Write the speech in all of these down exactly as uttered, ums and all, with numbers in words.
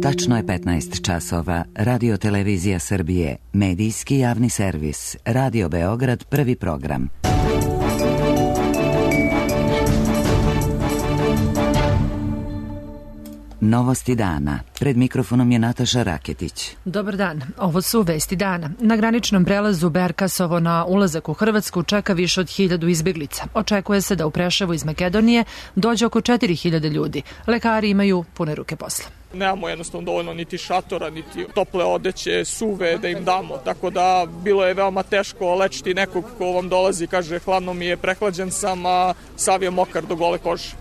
Tačno je petnaest časova. Radio Televizija Srbije, medijski javni servis, Radio Beograd, prvi program. Novosti dana. Pred mikrofonom je Nataša Raketić. Dobar dan. Ovo su vesti dana. Na graničnom prelazu Berkasovo na ulazak u Hrvatsku čeka više od hiljadu izbjeglica. Očekuje se da u Preševu iz Makedonije dođe oko četiri hiljade ljudi. Lekari imaju pune ruke posla. Nemamo jednostavno dovoljno niti šatora, niti tople odeće, suve da im damo. Tako da bilo je veoma teško lečiti nekog ko vam dolazi i kaže hladno mi je, prehlađen sam, a sav je mokar do gole kože.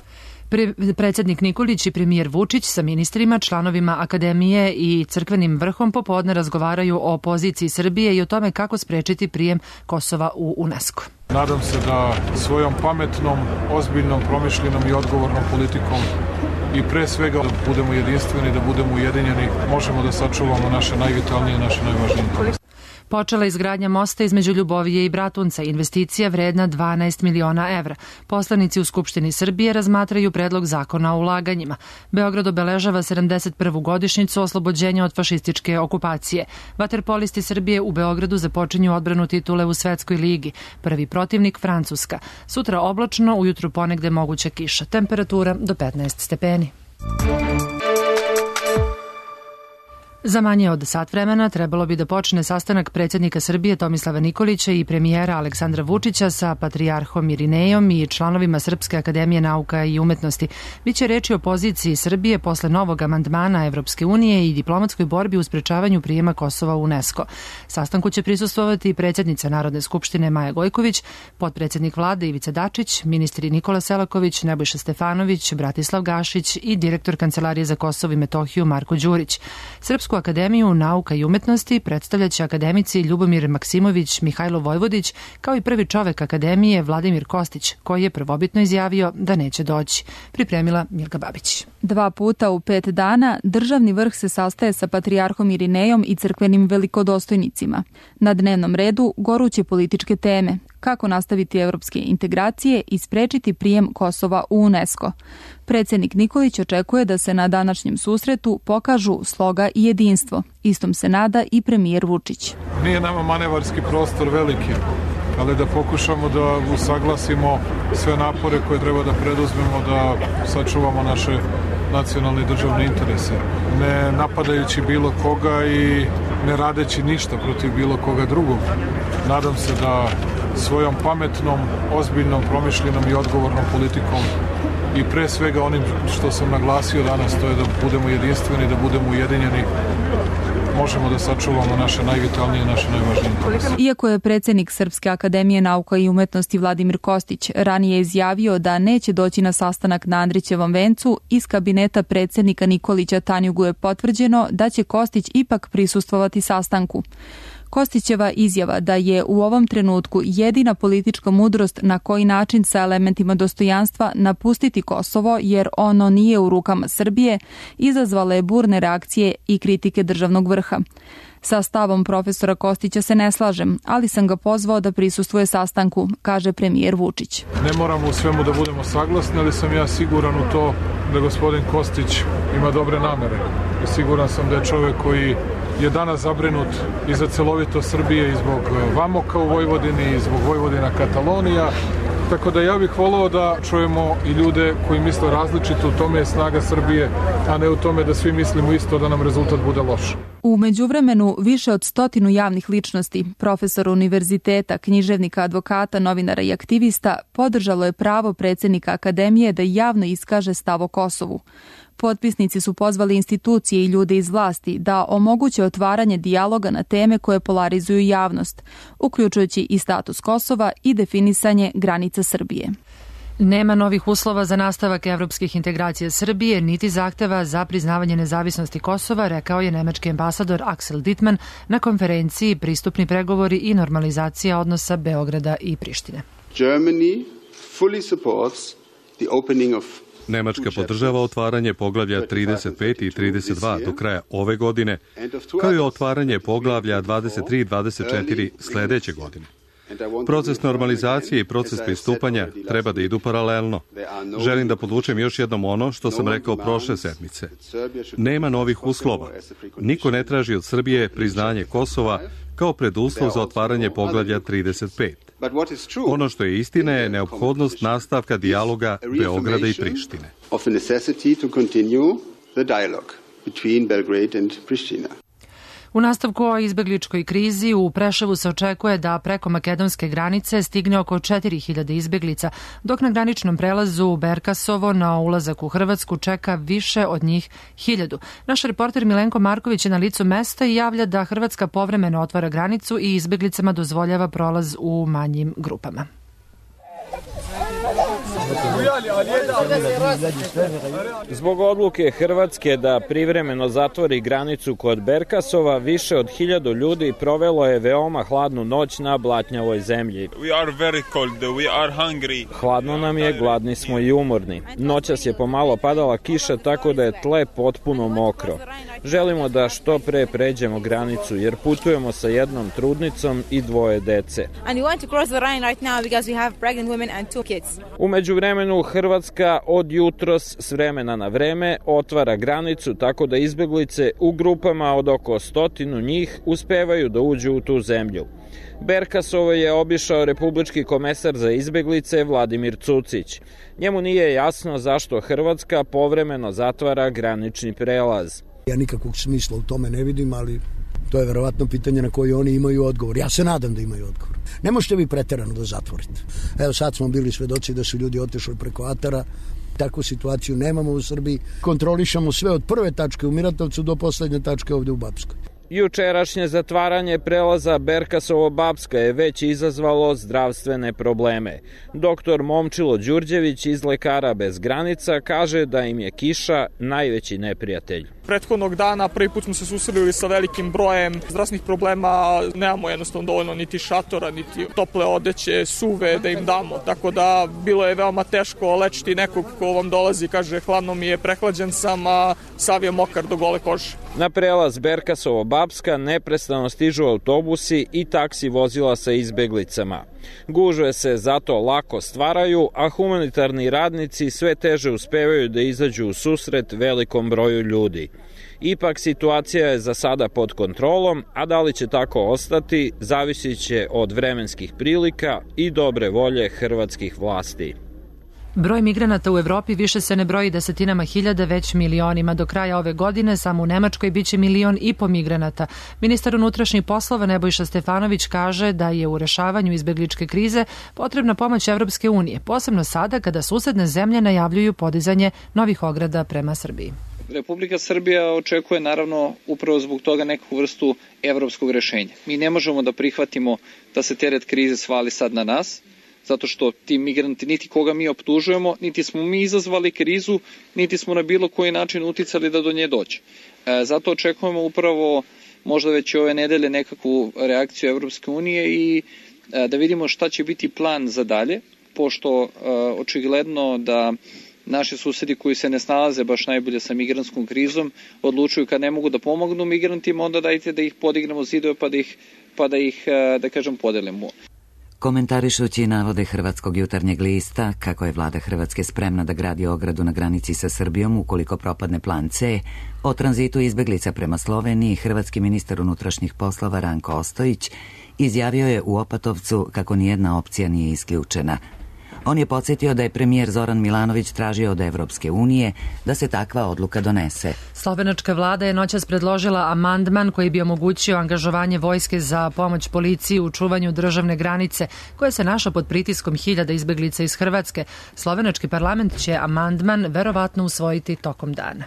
Pre, predsjednik Nikolić i premijer Vučić sa ministrima, članovima akademije i crkvenim vrhom popodne razgovaraju o poziciji Srbije i o tome kako sprečiti prijem Kosova u UNESCO. Nadam se da svojom pametnom, ozbiljnom, promišljenom i odgovornom politikom i pre svega da budemo jedinstveni, da budemo ujedinjeni, možemo da sačuvamo naše najvitalnije, naše najvažnije interese. Počela je izgradnja mosta između Ljubovije i Bratunca, investicija vredna dvanaest miliona evra. Poslanici u Skupštini Srbije razmatraju predlog zakona o ulaganjima. Beograd obeležava sedamdeset prvu godišnjicu oslobođenja od fašističke okupacije. Vaterpolisti Srbije u Beogradu započinju odbranu titule u Svetskoj ligi. Prvi protivnik Francuska. Sutra oblačno, ujutru ponegde moguća kiša. Temperatura do petnaest stepeni. Za manje od sat vremena trebalo bi da počne sastanak predsjednika Srbije Tomislava Nikolića i premijera Aleksandra Vučića sa patrijarhom Irinejom i članovima Srpske akademije nauka i umetnosti. Biće reči o poziciji Srbije posle novog amandmana Evropske unije i diplomatskoj borbi u sprečavanju prijema Kosova u UNESCO. Sastanku će prisustvovati predsjednica Narodne skupštine Maja Gojković, potpredsjednik vlade Ivica Dačić, ministri Nikola Selaković, Nebojša Stefanović, Bratislav Gašić i direktor Kancelarije za Kosovo i Metohiju Marko Đurić. Srpsku akademiju nauka i umetnosti predstavljaće akademici Ljubomir Maksimović, Mihajlo Vojvodić, kao i prvi čovek akademije Vladimir Kostić, koji je prvobitno izjavio da neće doći. Pripremila Milka Babić. Dva puta u pet dana državni vrh se sastaje sa patrijarhom Irinejom i crkvenim velikodostojnicima. Na dnevnom redu goruće političke teme, kako nastaviti evropske integracije i sprečiti prijem Kosova u UNESCO. Predsjednik Nikolić očekuje da se na današnjem susretu pokažu sloga i jedinstvo. Istom se nada i premijer Vučić. Nije nama manevarski prostor veliki, ali da pokušamo da usaglasimo sve napore koje treba da preduzmemo da sačuvamo naše nacionalne i državne interese. Ne napadajući bilo koga i ne radeći ništa protiv bilo koga drugog. Nadam se da svojom pametnom, ozbiljnom, promišljenom i odgovornom politikom i pre svega onim što sam naglasio danas, to je da budemo jedinstveni, da budemo ujedinjeni, možemo da sačuvamo naše najvitalnije, naše najvažnije interese. Iako je predsjednik Srpske akademije nauka i umetnosti Vladimir Kostić ranije izjavio da neće doći na sastanak na Andrićevom vencu, iz kabineta predsjednika Nikolića Tanjugu je potvrđeno da će Kostić ipak prisustvovati sastanku. Kostićeva izjava da je u ovom trenutku jedina politička mudrost na koji način sa elementima dostojanstva napustiti Kosovo jer ono nije u rukama Srbije, izazvala je burne reakcije i kritike državnog vrha. Sa stavom profesora Kostića se ne slažem, ali sam ga pozvao da prisustvuje sastanku, kaže premijer Vučić. Ne moramo u svemu da budemo saglasni, ali sam ja siguran u to da gospodin Kostić ima dobre namere. I siguran sam da je čovjek koji je danas zabrinut i za celovito Srbije i zbog Vamoka u Vojvodini i zbog Vojvodina Katalonija. Tako da ja bih volao da čujemo i ljude koji misle različito, u tome je snaga Srbije, a ne u tome da svi mislimo isto da nam rezultat bude loš. U međuvremenu više od stotinu javnih ličnosti, profesora univerziteta, književnika, advokata, novinara i aktivista podržalo je pravo predsjednika akademije da javno iskaže stav o Kosovu. Potpisnici su pozvali institucije i ljude iz vlasti da omoguće otvaranje dijaloga na teme koje polarizuju javnost, uključujući i status Kosova i definisanje granica Srbije. Nema novih uslova za nastavak evropskih integracija Srbije, niti zahteva za priznavanje nezavisnosti Kosova, rekao je nemački ambasador Axel Dittmann na konferenciji Pristupni pregovori i normalizacija odnosa Beograda i Prištine. Germany fully supports the opening of Nemačka podržava otvaranje poglavlja trideset pet i trideset dva do kraja ove godine, kao i otvaranje poglavlja dvadeset tri i dvadeset četiri sledeće godine. Proces normalizacije i proces pristupanja treba da idu paralelno. Želim da podvučem još jednom ono što sam rekao prošle sedmice. Nema novih uslova. Niko ne traži od Srbije priznanje Kosova kao preduslov za otvaranje poglavlja trideset pet. Ono što je istina je neophodnost nastavka dijaloga Beograda i Prištine. U nastavku o izbegličkoj krizi u Preševu se očekuje da preko makedonske granice stigne oko četiri hiljade izbeglica, dok na graničnom prelazu u Berkasovo na ulazak u Hrvatsku čeka više od njih hiljadu. Naš reporter Milenko Marković je na licu mesta i javlja da Hrvatska povremeno otvara granicu i izbeglicama dozvoljava prolaz u manjim grupama. Zbog odluke Hrvatske da privremeno zatvori granicu kod Berkasova, više od hiljadu ljudi provelo je veoma hladnu noć na blatnjavoj zemlji. Hladno nam je, gladni smo i umorni. Noćas je pomalo padala kiša, tako da je tle potpuno mokro. Želimo da što pre pređemo granicu, jer putujemo sa jednom trudnicom i dvoje dece. U međuvremenu Hrvatska od jutros s vremena na vreme otvara granicu tako da izbeglice u grupama od oko stotinu njih uspevaju da uđu u tu zemlju. Berkasovo je obišao republički komesar za izbeglice Vladimir Cucić. Njemu nije jasno zašto Hrvatska povremeno zatvara granični prelaz. Ja nikakvog smisla u tome ne vidim, ali to je verovatno pitanje na koje oni imaju odgovor. Ja se nadam da imaju odgovor. Ne možete vi preterano da zatvorite. Evo sad smo bili svedoci da su ljudi otišli preko Atara. Takvu situaciju nemamo u Srbiji. Kontrolišemo sve od prve tačke u Miratovcu do poslednje tačke ovde u Bapskoj. Jučerašnje zatvaranje prelaza Berkasovo-Bapska je već izazvalo zdravstvene probleme. Doktor Momčilo Đurđević iz Lekara bez granica kaže da im je kiša najveći neprijatelj. Prethodnog dana prvi put smo se susreli sa velikim brojem zdravstvenih problema, nemamo jednostavno dovoljno niti šatora, niti tople odeće, suve da im damo, tako da bilo je veoma teško lečiti nekog ko vam dolazi i kaže hladno mi je, prehlađen sam, a sav je mokar do gole kože. Na prelaz Berkasovo-Bapska neprestano stižu autobusi i taksi vozila sa izbeglicama. Gužve se zato lako stvaraju, a humanitarni radnici sve teže uspevaju da izađu u susret velikom broju ljudi. Ipak situacija je za sada pod kontrolom, a da li će tako ostati, zavisit će od vremenskih prilika i dobre volje hrvatskih vlasti. Broj migranata u Evropi više se ne broji desetinama hiljada, već milionima. Do kraja ove godine samo u Nemačkoj biće milion i po migranata. Ministar unutrašnjih poslova Nebojša Stefanović kaže da je u rešavanju izbegličke krize potrebna pomoć Evropske unije, posebno sada kada susedne zemlje najavljuju podizanje novih ograda prema Srbiji. Republika Srbija očekuje naravno upravo zbog toga neku vrstu evropskog rešenja. Mi ne možemo da prihvatimo da se teret krize svali sad na nas, zato što ti migranti niti koga mi optužujemo, niti smo mi izazvali krizu, niti smo na bilo koji način uticali da do nje dođe. E, zato očekujemo upravo možda već ove nedelje nekakvu reakciju Evropske unije i e, da vidimo šta će biti plan za dalje, pošto e, očigledno da naši susedi koji se ne snalaze baš najbolje sa migrantskom krizom odlučuju kad ne mogu da pomognu migrantima, onda dajte da ih podignemo zidove pa da ih, pa da ih da kažem, podelimo. Komentarišući navode Hrvatskog jutarnjeg lista kako je vlada Hrvatske spremna da gradi ogradu na granici sa Srbijom ukoliko propadne plan C, o tranzitu izbeglica prema Sloveniji hrvatski ministar unutrašnjih poslova Ranko Ostojić izjavio je u Opatovcu kako nijedna opcija nije isključena. On je podsjetio da je premijer Zoran Milanović tražio od Evropske unije da se takva odluka donese. Slovenačka vlada je noćas predložila amandman koji bi omogućio angažovanje vojske za pomoć policiji u čuvanju državne granice, koja se našla pod pritiskom hiljada izbeglica iz Hrvatske. Slovenački parlament će amandman verovatno usvojiti tokom dana.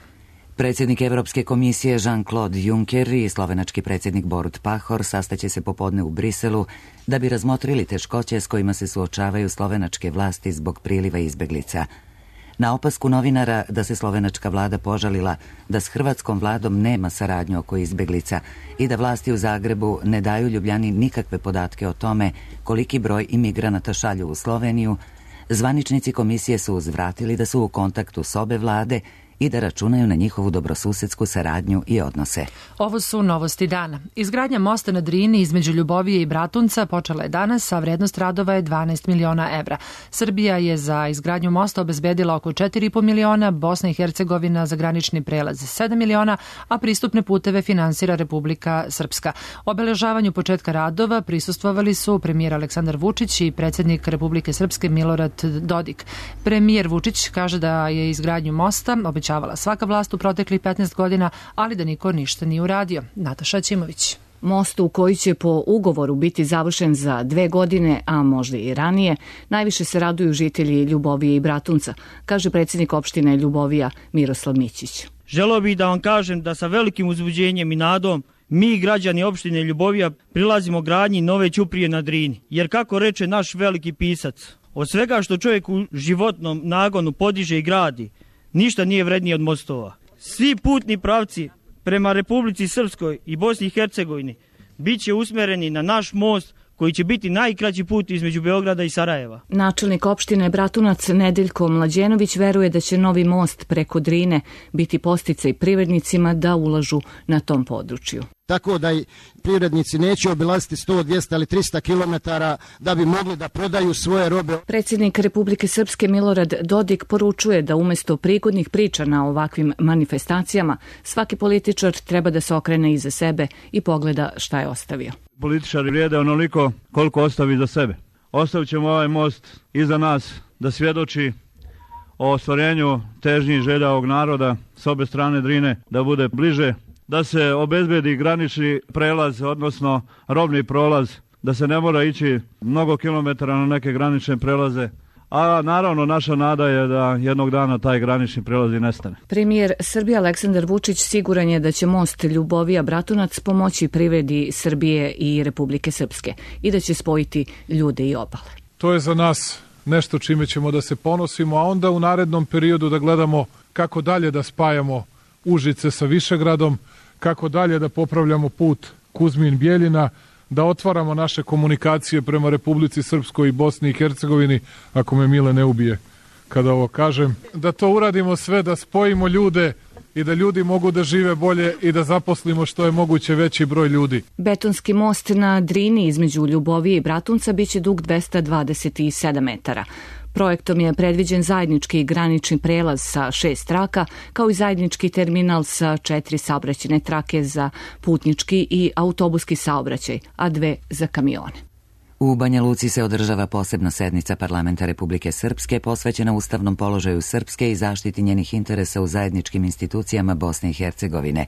Predsjednik Evropske komisije Jean-Claude Juncker i slovenački predsjednik Borut Pahor sastaće se popodne u Briselu da bi razmotrili teškoće s kojima se suočavaju slovenačke vlasti zbog priliva izbeglica. Na opasku novinara da se slovenačka vlada požalila da s hrvatskom vladom nema saradnju oko izbeglica i da vlasti u Zagrebu ne daju Ljubljani nikakve podatke o tome koliki broj imigranata šalju u Sloveniju, zvaničnici komisije su uzvratili da su u kontaktu s obe vlade i da računaju na njihovu dobrosusedsku saradnju i odnose. Ovo su novosti dana. Izgradnja mosta na Drini između Ljubovije i Bratunca počela je danas, a vrednost radova je dvanaest miliona evra. Srbija je za izgradnju mosta obezbedila oko četiri i po miliona, Bosna i Hercegovina za granični prelaz sedam miliona, a pristupne puteve finansira Republika Srpska. Obeležavanju početka radova prisustvovali su premijer Aleksandar Vučić i predsjednik Republike Srpske Milorad Dodik. Premijer Vučić kaže da je izgradnju mosta obećavala svaka vlast u proteklih petnaest godina, ali da niko ništa nije uradio. Nataša Ćimović. Most u koji će po ugovoru biti završen za dve godine, a možda i ranije, najviše se raduju žitelji Ljubovije i Bratunca, kaže predsjednik opštine Ljubovija Miroslav Mićić. Želeo bih da vam kažem da sa velikim uzbuđenjem i nadom mi, građani opštine Ljubovija, prilazimo gradnji nove ćuprije na Drini. Jer kako reče naš veliki pisac, od svega što čovjek u životnom nagonu podiže i gradi, ništa nije vrednije od mostova. Svi putni pravci prema Republici Srpskoj i Bosni i Hercegovini bit će usmereni na naš most koji će biti najkraći put između Beograda i Sarajeva. Načelnik opštine Bratunac Nedeljko Mlađenović veruje da će novi most preko Drine biti podsticaj privrednicima da ulažu na tom području. Tako da i privrednici neće obilaziti sto, dvjesto ili trista kilometara da bi mogli da prodaju svoje robe. Predsjednik Republike Srpske Milorad Dodik poručuje da umjesto prigodnih priča na ovakvim manifestacijama, svaki političar treba da se okrene iza sebe i pogleda šta je ostavio. Političari vrijede onoliko koliko ostavi za sebe. Ostavit ćemo ovaj most iza nas da svjedoči o ostvarenju težnjih želja ovog naroda s obe strane Drine, da bude bliže, da se obezbedi granični prelaz, odnosno robni prolaz, da se ne mora ići mnogo kilometara na neke granične prelaze. A naravno naša nada je da jednog dana taj granični prelaz i nestane. Premijer Srbije Aleksandar Vučić siguran je da će most Ljubovija Bratunac pomoći privredi Srbije i Republike Srpske i da će spojiti ljude i obale. To je za nas nešto čime ćemo da se ponosimo, a onda u narednom periodu da gledamo kako dalje da spajamo Užice sa Višegradom, kako dalje da popravljamo put Kuzmin-Bjeljina, da otvaramo naše komunikacije prema Republici Srpskoj i Bosni i Hercegovini, ako me Mile ne ubije kada ovo kažem, da to uradimo sve, da spojimo ljude i da ljudi mogu da žive bolje i da zaposlimo što je moguće veći broj ljudi. Betonski most na Drini između Ljubovije i Bratunca biće dug dvesta dvadeset sedam metara. Projektom je predviđen zajednički granični prelaz sa šest traka, kao i zajednički terminal sa četiri saobraćajne trake za putnički i autobuski saobraćaj, a dve za kamione. U Banja Luci se održava posebna sednica Parlamenta Republike Srpske posvećena ustavnom položaju Srpske i zaštiti njenih interesa u zajedničkim institucijama Bosne i Hercegovine.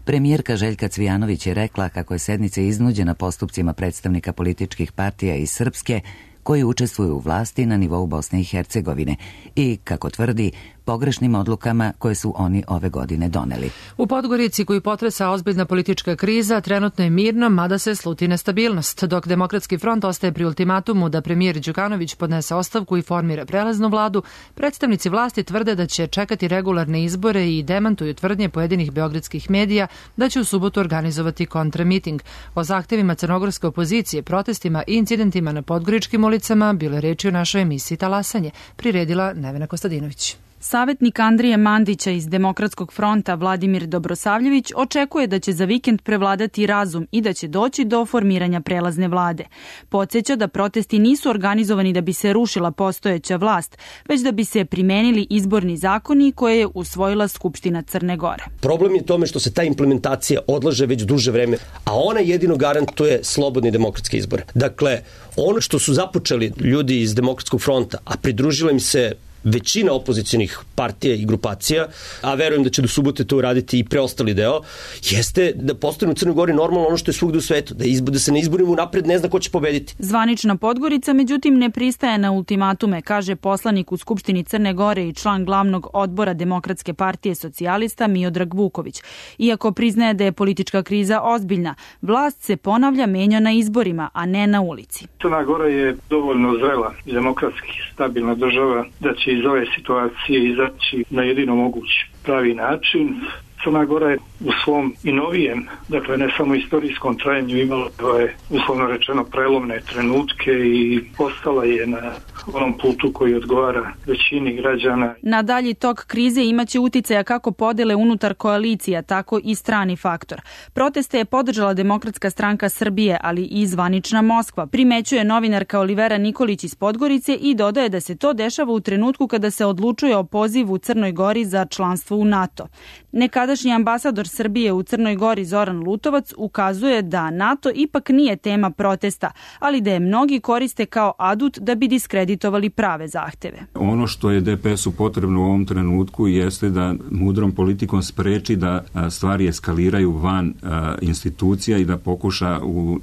Premijerka Željka Cvijanović je rekla kako je sednica iznuđena postupcima predstavnika političkih partija iz Srpske koji učestvuju u vlasti na nivou Bosne i Hercegovine i, kako tvrdi, pogrešnim odlukama koje su oni ove godine doneli. U Podgorici, koju potresa ozbiljna politička kriza, trenutno je mirno, mada se sluti nestabilnost, dok Demokratski front ostaje pri ultimatumu da premijer Đukanović podnese ostavku i formira prelaznu vladu. Predstavnici vlasti tvrde da će čekati regularne izbore i demantuju tvrdnje pojedinih beogradskih medija da će u subotu organizovati kontramiting. O zahtevima crnogorske opozicije, protestima i incidentima na podgoričkim ulicama bilo je reči u našoj emisiji Talasanje, priredila Nevena Kostadinović. Savetnik Andrije Mandića iz Demokratskog fronta Vladimir Dobrosavljević očekuje da će za vikend prevladati razum i da će doći do formiranja prelazne vlade. Podsjeća da protesti nisu organizovani da bi se rušila postojeća vlast, već da bi se primenili izborni zakoni koje je usvojila Skupština Crne Gore. Problem je tome što se ta implementacija odlaže već duže vreme, a ona jedino garantuje slobodni demokratski izbor. Dakle, ono što su započeli ljudi iz Demokratskog fronta, a pridružila im se većina opozicionih partija i grupacija, a verujem da će do subote to uraditi i preostali deo, jeste da postane u Crnoj Gori normalno ono što je svugde u svetu, da, izbo, da se na izborima unapred ne zna ko će pobediti. Zvanična Podgorica, međutim, ne pristaje na ultimatume, kaže poslanik u Skupštini Crne Gore i član glavnog odbora Demokratske partije socijalista Miodrag Vuković. Iako priznaje da je politička kriza ozbiljna, vlast se ponavlja menja na izborima, a ne na ulici. Crna Gora je dovoljno zrela i demokratski stabilna država da će iz ove situacije izaći na jedino mogući pravi način. Crna Gora je u svom i novijem, dakle ne samo istorijskom trajanju, imala je uslovno rečeno prelomne trenutke i postala je na onom putu koji odgovara većini građana. Na dalji tok krize imaće uticaja kako podele unutar koalicija, tako i strani faktor. Proteste je podržala Demokratska stranka Srbije, ali i zvanična Moskva, primećuje novinarka Olivera Nikolić iz Podgorice i dodaje da se to dešava u trenutku kada se odlučuje o pozivu Crnoj Gori za članstvo u NATO. Nekadašnji ambasador Srbije u Crnoj Gori Zoran Lutovac ukazuje da NATO ipak nije tema protesta, ali da je mnogi koriste kao adut da bi diskreditovali prave zahteve. Ono što je D P S-u potrebno u ovom trenutku jeste da mudrom politikom spreči da stvari eskaliraju van institucija i da pokuša u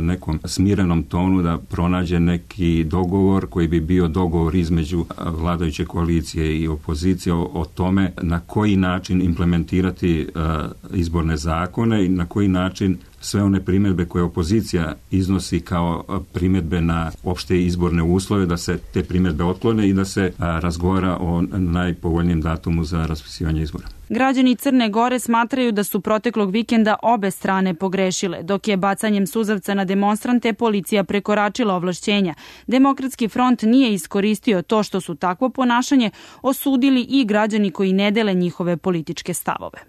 nekom smirenom tonu da pronađe neki dogovor koji bi bio dogovor između vladajuće koalicije i opozicije o, o tome na koji način implementirati izborne zakone i na koji način sve one primjedbe koje opozicija iznosi kao primjedbe na opšte izborne uslove, da se te primjedbe otklone i da se razgovara o najpovoljnijem datumu za raspisivanje izbora. Građani Crne Gore smatraju da su proteklog vikenda obe strane pogrešile, dok je bacanjem suzavca na demonstrante policija prekoračila ovlašćenja. Demokratski front nije iskoristio to što su takvo ponašanje osudili i građani koji ne dele njihove političke stavove.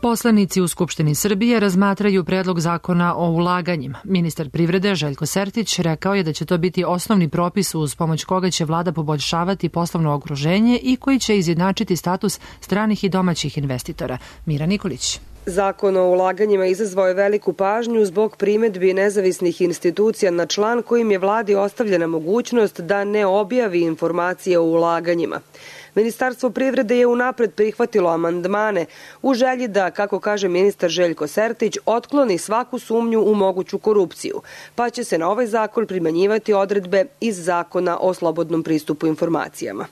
Poslanici u Skupštini Srbije razmatraju predlog zakona o ulaganjima. Ministar privrede Željko Sertić rekao je da će to biti osnovni propis uz pomoć koga će vlada poboljšavati poslovno okruženje i koji će izjednačiti status stranih i domaćih investitora. Mira Nikolić. Zakon o ulaganjima izazvao je veliku pažnju zbog primedbi nezavisnih institucija na član kojim je vladi ostavljena mogućnost da ne objavi informacije o ulaganjima. Ministarstvo privrede je unapred prihvatilo amandmane u želji da, kako kaže ministar Željko Sertić, otkloni svaku sumnju u moguću korupciju, pa će se na ovaj zakon primenjivati odredbe iz Zakona o slobodnom pristupu informacijama.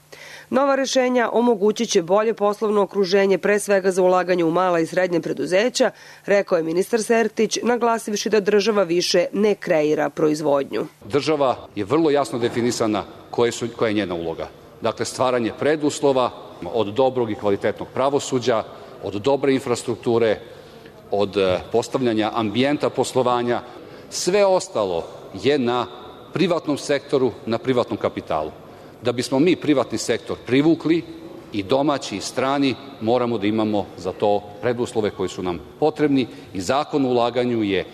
Nova rešenja omogućit će bolje poslovno okruženje, pre svega za ulaganje u mala i srednje preduzeća, rekao je ministar Sertić, naglasivši da država više ne kreira proizvodnju. Država je vrlo jasno definisana koja je njena uloga. Dakle, stvaranje preduslova od dobrog i kvalitetnog pravosuđa, od dobre infrastrukture, od postavljanja ambijenta poslovanja. Sve ostalo je na privatnom sektoru, na privatnom kapitalu. Da bismo mi privatni sektor privukli, i domaći i strani, moramo da imamo za to preduslove koji su nam potrebni i Zakon o ulaganju je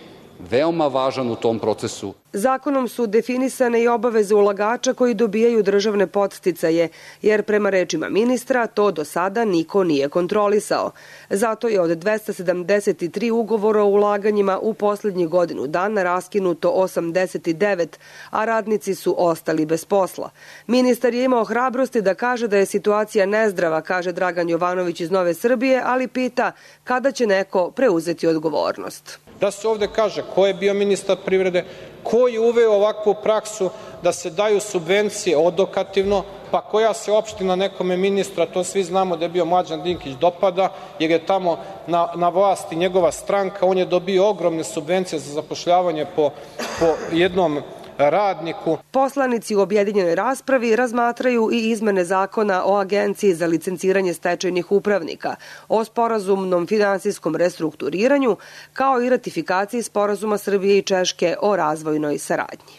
veoma važan u tom procesu. Zakonom su definisane i obaveze ulagača koji dobijaju državne podsticaje, jer prema rečima ministra to do sada niko nije kontrolisao. Zato je od dvesta sedamdeset tri ugovora o ulaganjima u poslednjih godinu dana raskinuto osamdeset devet, a radnici su ostali bez posla. Ministar je imao hrabrosti da kaže da je situacija nezdrava, kaže Dragan Jovanović iz Nove Srbije, ali pita kada će neko preuzeti odgovornost. Da se ovde kaže ko je bio ministar privrede, ko je uveo ovakvu praksu da se daju subvencije odokativno, pa koja se opština nekome ministra, to svi znamo da je bio Mlađan Dinkić, dopada, jer je tamo na, na vlasti njegova stranka, on je dobio ogromne subvencije za zapošljavanje po, po jednom radniku. Poslanici u objedinjenoj raspravi razmatraju i izmene zakona o Agenciji za licenciranje stečajnih upravnika, o sporazumnom finansijskom restrukturiranju, kao i ratifikaciji sporazuma Srbije i Češke o razvojnoj saradnji.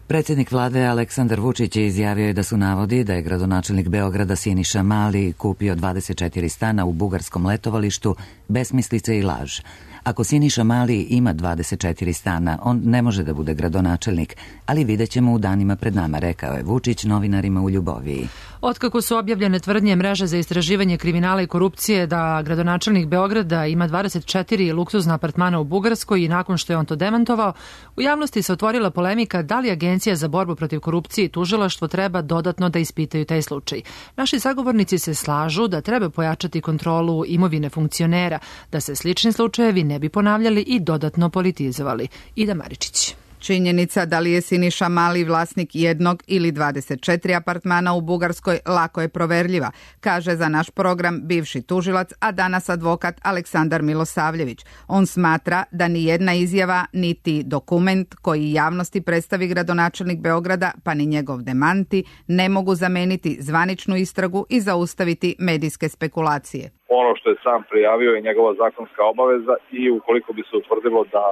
Predsjednik vlade Aleksandar Vučić je izjavio da su navodi da je gradonačelnik Beograda Siniša Mali kupio dvadeset četiri stana u bugarskom letovalištu besmislice i laž. Ako Siniša Mali ima dvadeset četiri stana, on ne može da bude gradonačelnik, ali vidjet ćemo u danima pred nama, rekao je Vučić novinarima u Ljuboviji. Otkako su objavljene tvrdnje mreže za istraživanje kriminala i korupcije da gradonačelnik Beograda ima dvadeset četiri luksuzna apartmana u Bugarskoj i nakon što je on to demantovao, u javnosti se otvorila polemika da li Agencija za borbu protiv korupcije i tužilaštvo treba dodatno da ispitaju taj slučaj. Naši sagovornici se slažu da treba pojačati kontrolu imovine funkcionera, da se slični slučajevi ne bi ponavljali i dodatno politizovali. Ida Maričić. Činjenica da li je Siniša Mali vlasnik jednog ili dvadeset četiri apartmana u Bugarskoj lako je proverljiva, kaže za naš program bivši tužilac, a danas advokat Aleksandar Milosavljević. On smatra da ni jedna izjava niti dokument koji javnosti predstavi gradonačelnik Beograda, pa ni njegov demanti, ne mogu zameniti zvaničnu istragu i zaustaviti medijske spekulacije. Ono što je sam prijavio je njegova zakonska obaveza i ukoliko bi se utvrdilo da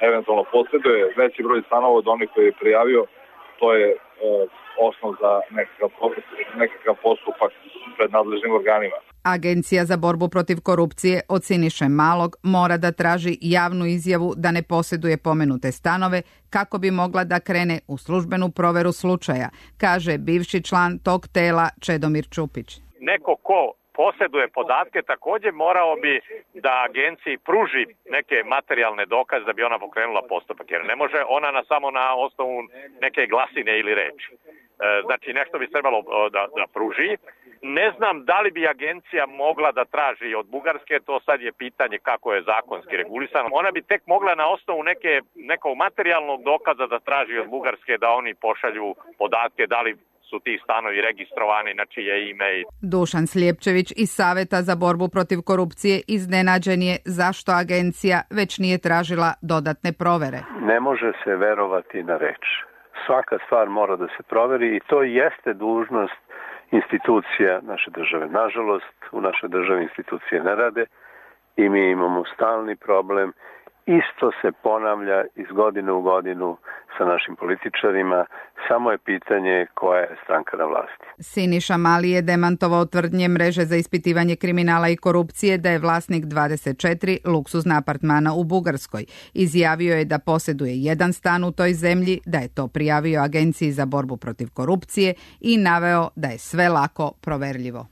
eventualno posjeduje veći broj stanova od onih koji je prijavio, to je e, osnov za nekakav, nekakav postupak pred nadležnim organima. Agencija za borbu protiv korupcije od Siniše Malog mora da traži javnu izjavu da ne posjeduje pomenute stanove kako bi mogla da krene u službenu proveru slučaja, kaže bivši član tog tela Čedomir Čupić. Neko ko posjeduje podatke također morao bi da agenciji pruži neke materijalne dokaze da bi ona pokrenula postupak, jer ne može ona na, samo na osnovu neke glasine ili reči. E, znači nešto bi trebalo da, da pruži. Ne znam da li bi agencija mogla da traži od Bugarske, to sad je pitanje kako je zakonski regulisano. Ona bi tek mogla na osnovu neke, nekog materijalnog dokaza da traži od Bugarske da oni pošalju podatke da li su ti stanovi registrovani na čije ime. Dušan Slijepčević iz Saveta za borbu protiv korupcije iznenađen je zašto agencija već nije tražila dodatne provere. Ne može se verovati na reč. Svaka stvar mora da se proveri i to jeste dužnost institucija naše države. Nažalost, u našoj državi institucije ne rade i mi imamo stalni problem. Isto se ponavlja iz godine u godinu sa našim političarima, samo je pitanje koja je stranka na vlasti. Siniša Mali je demantovao tvrdnje mreže za ispitivanje kriminala i korupcije da je vlasnik dvadeset četiri luksuzna apartmana u Bugarskoj. Izjavio je da posjeduje jedan stan u toj zemlji, da je to prijavio Agenciji za borbu protiv korupcije i naveo da je sve lako proverljivo.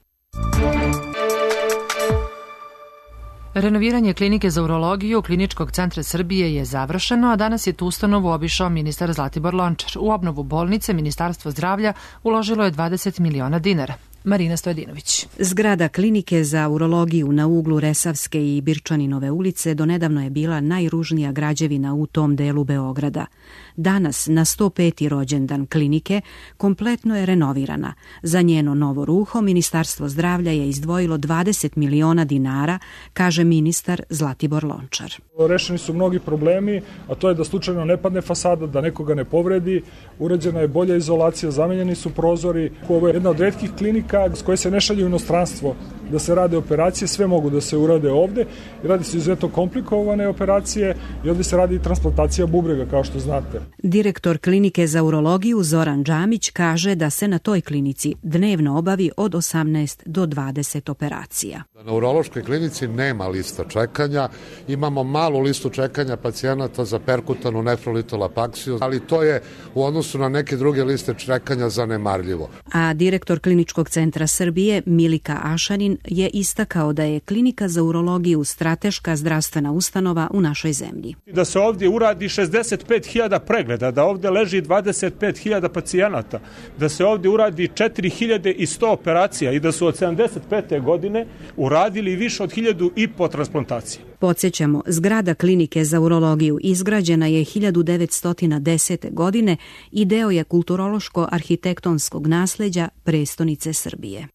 Renoviranje klinike za urologiju Kliničkog centra Srbije je završeno, a danas je tu ustanovu obišao ministar Zlatibor Lončar. U obnovu bolnice Ministarstvo zdravlja uložilo je dvadeset miliona dinara. Marina Stojedinović. Zgrada klinike za urologiju na uglu Resavske i Birčaninove ulice donedavno je bila najružnija građevina u tom delu Beograda. Danas, na sto peti rođendan klinike, kompletno je renovirana. Za njeno novo ruho Ministarstvo zdravlja je izdvojilo dvadeset miliona dinara, kaže ministar Zlatibor Lončar. Rešeni su mnogi problemi, a to je da slučajno ne padne fasada, da nekoga ne povredi, urađena je bolja izolacija, zamenjeni su prozori. Ovo je jedna od retkih klinika s koje se ne šalje u inostranstvo da se rade operacije, sve mogu da se urade ovde. Radi se izuzetno komplikovane operacije i ovde se radi i transplantacija bubrega, kao što znate. Direktor klinike za urologiju Zoran Džamić kaže da se na toj klinici dnevno obavi od osamnaest do dvadeset operacija. Na urološkoj klinici nema lista čekanja, imamo malu listu čekanja pacijenata za perkutanu nefrolitolapaksiju, ali to je u odnosu na neke druge liste čekanja zanemarljivo. A direktor Kliničkog centra Srbije Milika Ašanin je istakao da je klinika za urologiju strateška zdravstvena ustanova u našoj zemlji. Da se ovdje uradi šezdeset pet hiljada pregleda, da ovdje leži dvadeset pet hiljada pacijenata, da se ovdje uradi četiri hiljade sto operacija i da su od sedamdeset pete godine uradili više od hiljadu i po transplantacije. Podsjećamo, zgrada klinike za urologiju izgrađena je hiljadu devetsto desete. godine i deo je kulturološko-arhitektonskog nasleđa prestonice Srbije.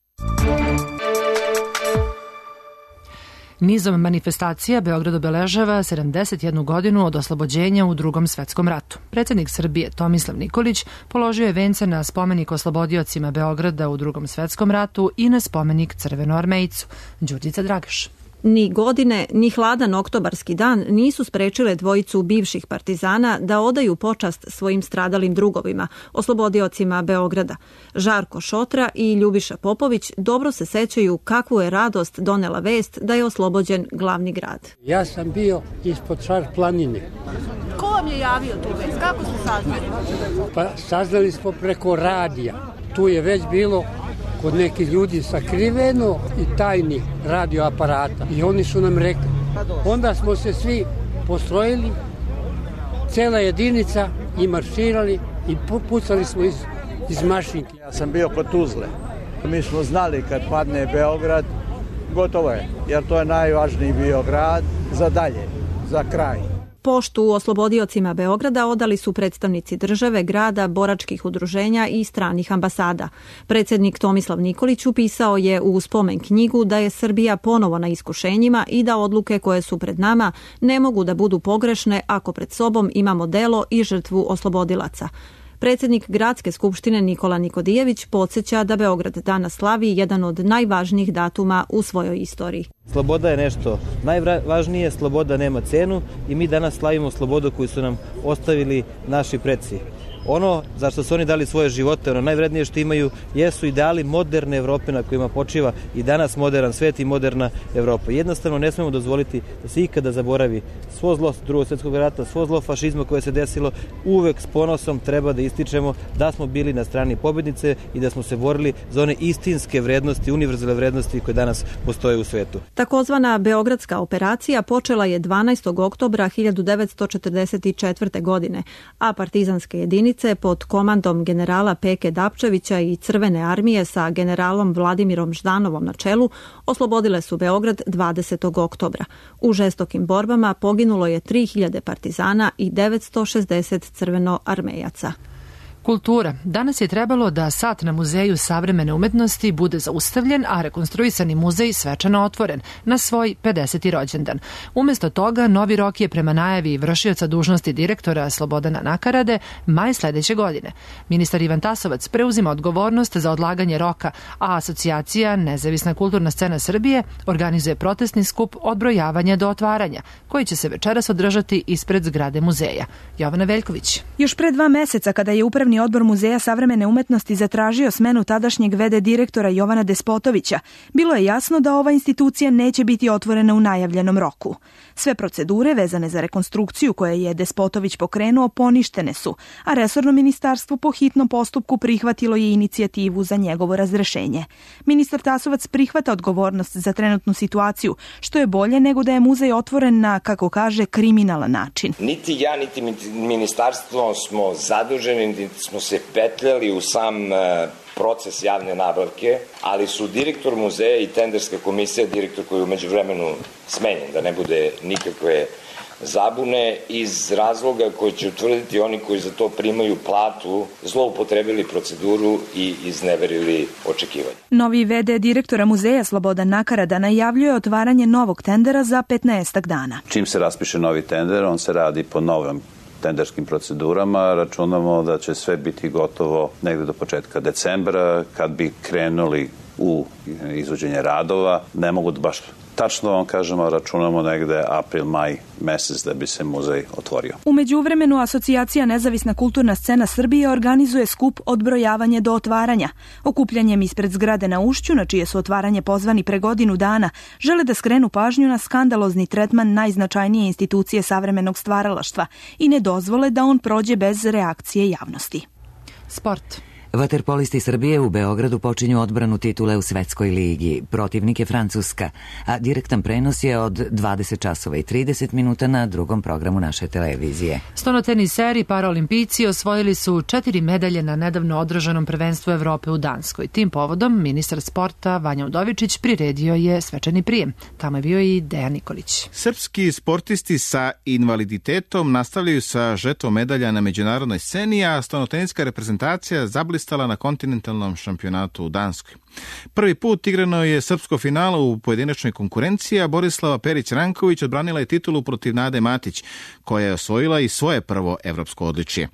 Nizom manifestacija Beograd obeležava sedamdeset jednu godinu od oslobođenja u Drugom svetskom ratu. Predsjednik Srbije Tomislav Nikolić položio je vence na spomenik oslobodiocima Beograda u Drugom svetskom ratu i na spomenik Crvenoarmejcu. Đurđica Dragaš. Ni godine, ni hladan oktobarski dan nisu sprečile dvojicu bivših partizana da odaju počast svojim stradalim drugovima, oslobodiocima Beograda. Žarko Šotra i Ljubiša Popović dobro se sećaju kakvu je radost donela vest da je oslobođen glavni grad. Ja sam bio ispod Šar planine. Ko vam je javio tu vest? Kako ste saznali? Pa saznali smo preko radija. Tu je već bilo kod nekih ljudi sakriveno i tajnih radioaparata. I oni su nam rekli. Onda smo se svi postrojili, cela jedinica i marširali i pucali smo iz, iz mašinke. Ja sam bio kod Tuzle. Mi smo znali kad padne Beograd, gotovo je, jer to je najvažniji bio grad za dalje, za kraj. Poštu oslobodiocima Beograda odali su predstavnici države, grada, boračkih udruženja i stranih ambasada. Predsjednik Tomislav Nikolić upisao je u spomen knjigu da je Srbija ponovo na iskušenjima i da odluke koje su pred nama ne mogu da budu pogrešne ako pred sobom imamo delo i žrtvu oslobodilaca. Predsjednik Gradske skupštine Nikola Nikodijević podsjeća da Beograd danas slavi jedan od najvažnijih datuma u svojoj istoriji. Sloboda je nešto najvažnije, sloboda nema cenu i mi danas slavimo slobodu koju su nam ostavili naši preci. Ono za što su oni dali svoje živote, ono najvrednije što imaju, jesu ideali moderne Evrope na kojima počiva i danas modern svet i moderna Evropa. Jednostavno ne smemo dozvoliti da se ikada zaboravi svo zlo Drugog svjetskog rata, svo zlo fašizma koje se desilo. Uvek s ponosom treba da ističemo da smo bili na strani pobednice i da smo se borili za one istinske vrednosti, univerzalne vrednosti koje danas postoje u svetu. Takozvana Beogradska operacija počela je dvanaestog oktobra hiljadu devetsto četrdeset četvrte. godine, a partizanske jedinice pod komandom generala Peke Dapčevića i Crvene armije sa generalom Vladimirom Ždanovom na čelu oslobodile su Beograd dvadesetog oktobra. U žestokim borbama poginulo je tri hiljade partizana i devetsto šezdeset crvenoarmejaca. Kultura. Danas je trebalo da sat na Muzeju savremene umetnosti bude zaustavljen, a rekonstruisani muzej svečano otvoren na svoj pedeseti rođendan. Umesto toga, novi rok je prema najavi vršioca dužnosti direktora Slobodana Nakarade maj sledeće godine. Ministar Ivan Tasovac preuzima odgovornost za odlaganje roka, a asocijacija Nezavisna kulturna scena Srbije organizuje protestni skup odbrojavanja do otvaranja, koji će se večeras održati ispred zgrade muzeja. Jovana Veljković. Još pre dva meseca, kada je upravni odbor Muzeja savremene umetnosti zatražio smenu tadašnjeg ve de direktora Jovana Despotovića, bilo je jasno da ova institucija neće biti otvorena u najavljenom roku. Sve procedure vezane za rekonstrukciju koje je Despotović pokrenuo poništene su, a resorno ministarstvo po hitnom postupku prihvatilo je inicijativu za njegovo razrešenje. Ministar Tasovac prihvata odgovornost za trenutnu situaciju, što je bolje nego da je muzej otvoren na, kako kaže, kriminalan način. Niti ja, niti ministarstvo smo zaduženi, niti smo se petljali u sam proces javne nabavke, ali su direktor muzeja i tenderska komisija, direktor koji je umeđu vremenu smenjen, da ne bude nikakve zabune, iz razloga koji će utvrditi oni koji za to primaju platu, zloupotrebili proceduru i izneverili očekivanje. Novi ve de direktora muzeja Slobodan Nakarada najavljuje otvaranje novog tendera za petnaestak dana. Čim se raspiše novi tender, on se radi po novom tenderskim procedurama. Računamo da će sve biti gotovo negde do početka decembra, kad bi krenuli u izvođenje radova. Ne mogu da baš tačno vam kažemo, računamo negde april, maj mesec da bi se muzej otvorio. U međuvremenu asocijacija Nezavisna kulturna scena Srbije organizuje skup odbrojavanje do otvaranja. Okupljanjem ispred zgrade na Ušću, na čije su otvaranje pozvani pre godinu dana, žele da skrenu pažnju na skandalozni tretman najznačajnije institucije savremenog stvaralaštva i ne dozvole da on prođe bez reakcije javnosti. Sport. Vaterpolisti Srbije u Beogradu počinju odbranu titule u Svetskoj ligi. Protivnik je Francuska, a direktan prenos je od dvadeset časova i trideset minuta na drugom programu naše televizije. Stonoteniseri paraolimpijci osvojili su četiri medalje na nedavno održanom prvenstvu Evrope u Danskoj. Tim povodom ministar sporta Vanja Udovičić priredio je svečani prijem. Tamo je bio i Dejan Nikolić. Srpski sportisti sa invaliditetom nastavljaju sa žetvom medalja na međunarodnoj sceni, a stonoteniska reprezentacija zablistala na kontinentalnom šampionatu u Danskoj. Prvi put igrano je srpsko finale u pojedinačnoj konkurenciji, a Borislava Perić-Ranković odbranila je titulu protiv Nade Matić, koja je osvojila i svoje prvo evropsko odličje.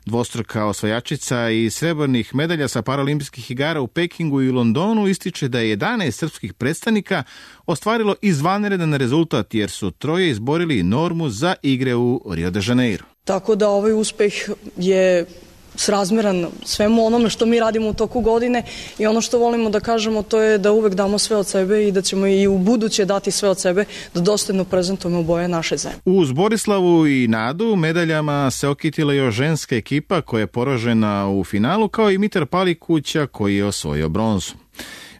Dvostruka osvajačica i srebrnih medalja sa paraolimpijskih igara u Pekingu i Londonu ističe da je jedanaest srpskih predstavnika ostvarilo izvanredan rezultat, jer su troje izborili normu za igre u Rio de Janeiro. Tako da ovaj uspeh je srazmeran svemu onome što mi radimo u toku godine i ono što volimo da kažemo to je da uvek damo sve od sebe i da ćemo i u buduće dati sve od sebe da dostojno prezentujemo boje naše zemlje. Uz Borislavu i Nadu medaljama se okitila još ženska ekipa koja je poražena u finalu, kao i Mitar Palikuća koji je osvojio bronzu.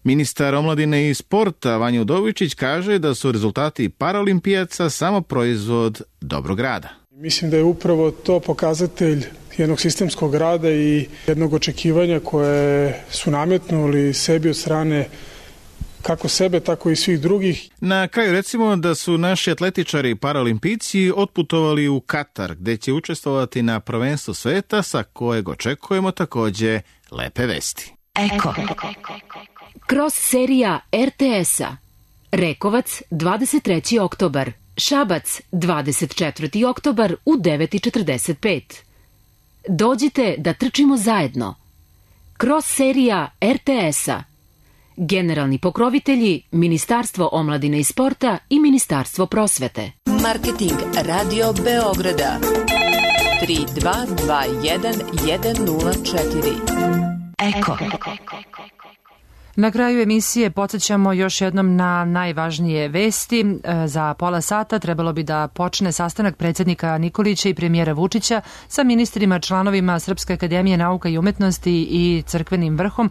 Ministar omladine i sporta Vanja Udovičić kaže da su rezultati paraolimpijaca samo proizvod dobrog rada. Mislim da je upravo to pokazatelj jednog sistemskog rada i jednog očekivanja koje su nametnuli sebi od strane kako sebe, tako i svih drugih. Na kraju recimo da su naši atletičari i paraolimpijci otputovali u Katar, gde će učestvovati na prvenstvu sveta, sa kojeg očekujemo takođe lepe vesti. Eko. Cross serija er te es-a. Rekovac, dvadeset treći oktobar. Šabac, dvadeset četvrti oktobar u devet i četrdeset pet. Dođite da trčimo zajedno. Cross serija er te es-a. Generalni pokrovitelji Ministarstvo omladine i sporta i Ministarstvo prosvete. Marketing Radio Beograda tri dva dva jedan jedan nula četiri. Eko. Na kraju emisije podsjećamo još jednom na najvažnije vesti. Za pola sata trebalo bi da počne sastanak predsjednika Nikolića i premijera Vučića sa ministrima, članovima Srpske akademije nauka i umetnosti i crkvenim vrhom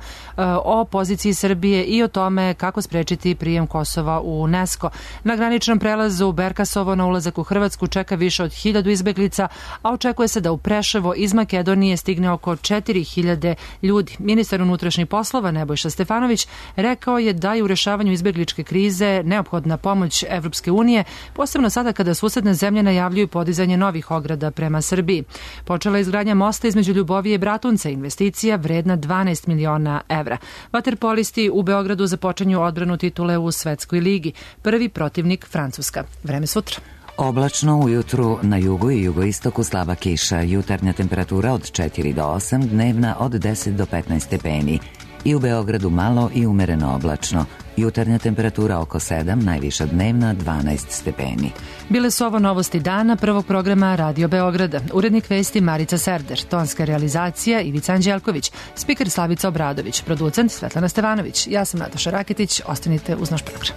o poziciji Srbije i o tome kako sprečiti prijem Kosova u UNESCO. Na graničnom prelazu Berkasovo na ulazak u Hrvatsku čeka više od hiljadu izbeglica, a očekuje se da u Preševo iz Makedonije stigne oko četiri hiljade ljudi. Ministar unutrašnjih poslova Nebojša Stefanović rekao je da je u rešavanju izbegličke krize neophodna pomoć Evropske unije, posebno sada kada susedne zemlje najavljuju podizanje novih ograda prema Srbiji. Počela je izgradnja mosta između Ljubovije i Bratunca, investicija vredna dvanaest miliona evra. Vaterpolisti u Beogradu započinju odbranu titule u Svetskoj ligi. Prvi protivnik Francuska. Vreme sutra. Oblačno ujutru na jugu i jugoistoku slaba kiša, jutarnja temperatura od četiri do osam, dnevna od deset do petnaest stepeni. I u Beogradu malo i umereno oblačno. Jutarnja temperatura oko sedam, najviša dnevna dvanaest stepeni. Bile su ovo novosti dana prvog programa Radio Beograda. Urednik vesti Marica Serder, tonska realizacija Ivica Anđelković, spiker Slavica Obradović, producent Svetlana Stevanović. Ja sam Nataša Raketić, ostanite uz naš program.